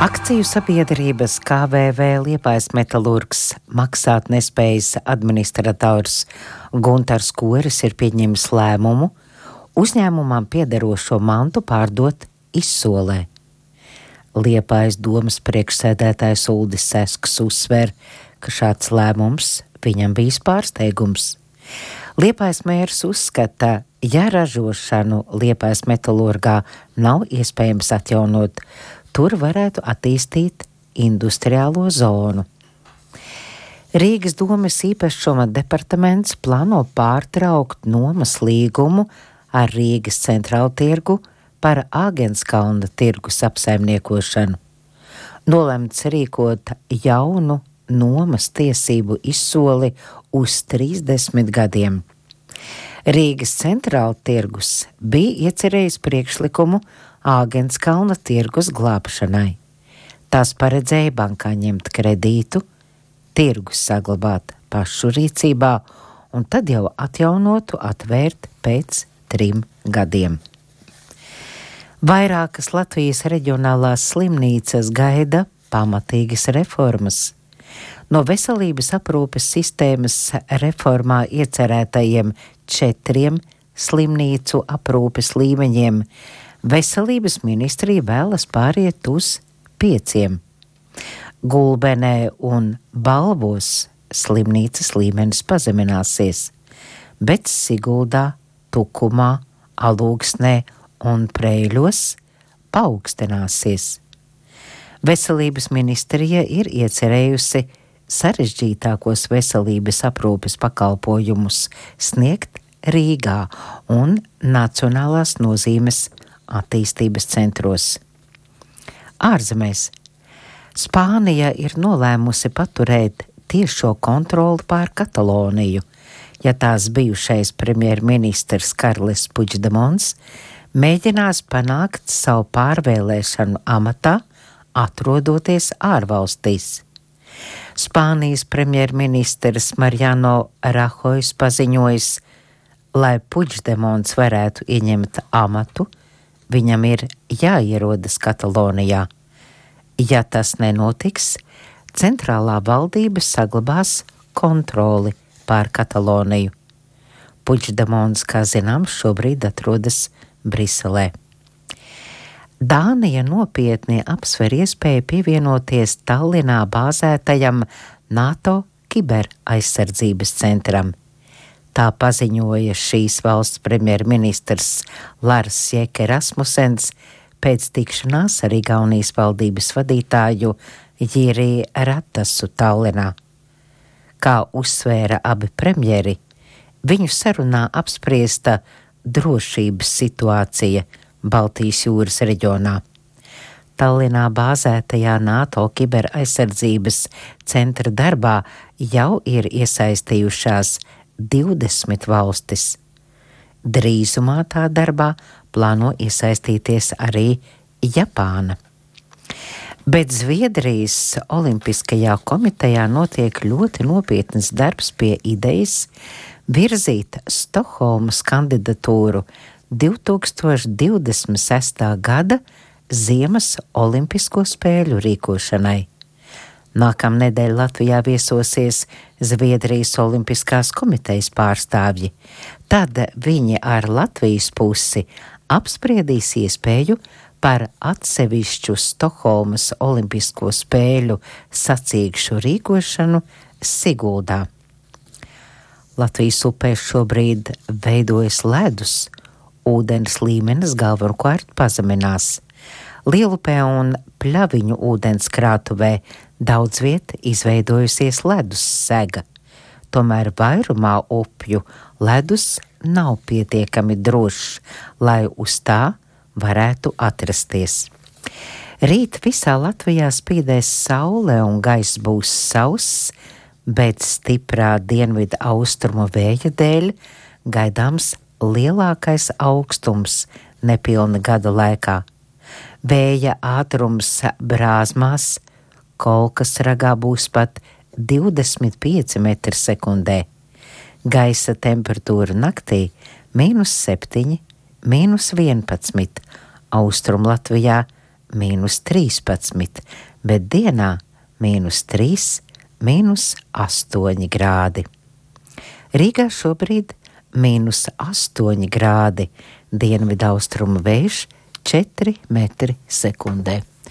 Akciju sabiedrības KVV Liepājas metalurgs maksātnespējas administrators Guntars Koris ir pieņēmis lēmumu uzņēmumam piederošo mantu pārdot izsolē. Liepājas domas priekšsēdētājs Uldis Sesks uzsver, ka šāds lēmums viņam bijis pārsteigums. Liepājas mērs uzskata, ja ražošanu Liepājas metalurgā nav iespējams atjaunot, tur varētu attīstīt industriālo zonu. Rīgas domes īpašuma departaments plāno pārtraukt nomas līgumu ar Rīgas centrālu tirgu par Āgenskalna tirgus apsaimniekošanu. Nolemts rīkot jaunu nomas tiesību izsoli uz 30 gadiem. Rīgas centrāla tirgus bija iecerējis priekšlikumu Āgenskalna tirgus glābšanai. Tās paredzēja bankā ņemt kredītu, tirgus saglabāt pašu rīcībā un tad jau atjaunotu atvērt pēc 3 gadiem. Vairākas Latvijas reģionālās slimnīcas gaida pamatīgas reformas. No veselības aprūpes sistēmas reformā iecerētajiem 4 slimnīcu aprūpes līmeņiem Veselības ministrija vēlas pāriet uz 5. Gulbenē un Balvos slimnīcas līmenis pazemināsies, bet Siguldā, Tukumā, Alūksnē un Preiļos paaugstināsies. Veselības ministrija ir iecerējusi sarežģītākos veselības aprūpes pakalpojumus sniegt Rīgā un nacionālās nozīmes attīstības centros. Ārzemēs Spānija ir nolēmusi paturēt tiešo kontroli pār Kataloniju, ja tās bijušais premjerministrs Karles Puigdemons mēģinās panākt savu pārvēlēšanu amatā, atrodoties ārvalstīs. Spānijas premjerministrs Mariano Rajoy paziņojis, lai Puigdemons varētu ieņemt amatu, viņam ir jāierodas Katalonijā. Ja tas nenotiks, centrālā valdība saglabās kontroli pār Kataloniju. Puigdemons, kā zināms, šobrīd atrodas Briselē. Dānija nopietni apsver iespēju pievienoties Tallinā bāzētajam NATO kiberaizsardzības centram. Tā paziņoja šīs valsts premjerministrs Lars Løkke Rasmussens pēc tikšanās ar Igaunijas valdības vadītāju Jiri Ratasu Tallinā. Kā uzsvēra abi premjeri, viņu sarunā apspriesta drošības situācija Baltijas jūras reģionā. Tallinā bāzētajā NATO kiberaizsardzības centra darbā jau ir iesaistījušās 20 valstis. Drīzumā tā darbā plāno iesaistīties arī Japāna. Bet Zviedrijas Olimpiskajā komitejā notiek ļoti nopietnas darbs pie idejas virzīt Stokholmas kandidatūru 2026. gada Ziemas Olimpisko spēļu rīkošanai. Nākamnedēļ Latvijā viesosies Zviedrijas Olimpiskās komitejas pārstāvji. Tad viņi ar Latvijas pusi apspriedīs iespēju par atsevišķu Stokholmas Olimpisko spēļu sacīkšu rīkošanu Siguldā. Latvijas upēs šobrīd veidojas ledus, ūdens līmenis galvenokārt pazeminās. Lielupē un Pļaviņu ūdenskrātuvē daudz viet izveidojusies ledus sega, tomēr vairumā upju ledus nav pietiekami drošs, lai uz tā varētu atrasties. Rīt visā Latvijā spīdēs saule un gaiss būs sauss, bet stiprā dienvidu austrumu vēja dēļ gaidāms lielākais augstums nepilna gada laikā. Vēja ātrums Brāzmās, Kolkas ragā būs pat 25 metri sekundē. Gaisa temperatūra naktī -7, -11, Austrumlatvijā -13, bet dienā -3, -8 grādi. Rīgā šobrīd -8 grādi, dienvidaustrumu vējš 4 metri sekundē.